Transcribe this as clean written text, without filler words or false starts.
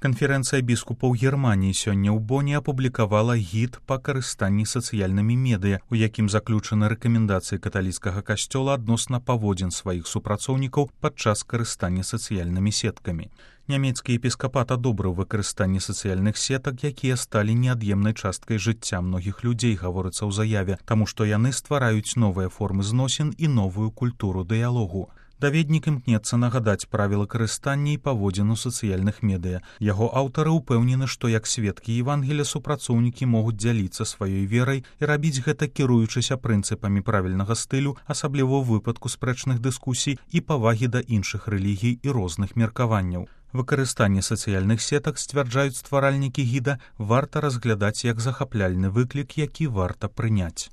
Канферэнцыя біскупаў Германіі сёння ў Боне апублікавала гід па карыстанні сацыяльнымі медыя, у якім заключаны рэкамендацыі каталіцкага касцёла адносна паводзін сваіх супрацоўнікаў падчас карыстання сацыяльнымі сеткамі. Нямецкі епіскапат адобрыў выкарыстанне сацыяльных сетак, якія сталі неад'емнай часткай жыцця многіх людзей, гаворыцца ў заяве, таму што яны ствараюць новыя формы зносін і новую культуру дыялогу. Даведнік імкнецца нагадаць правілы карыстання і паводзін у сацыяльных медыя. Яго аўтары ўпэўнены, што як сведкі Евангелія супрацоўнікі могуць дзяліцца сваёй верай і рабіць гэта, кіруючыся прынцыпамі правільнага стылю, асабліва ў выпадку спрэчных дыскусій і павагі да іншых рэлігій і розных меркаванняў. Выкарыстанне сацыяльных сетак, сцвярджаюць стваральнікі гіда, варта разглядаць як захапляльны выклік, які варта прыняць.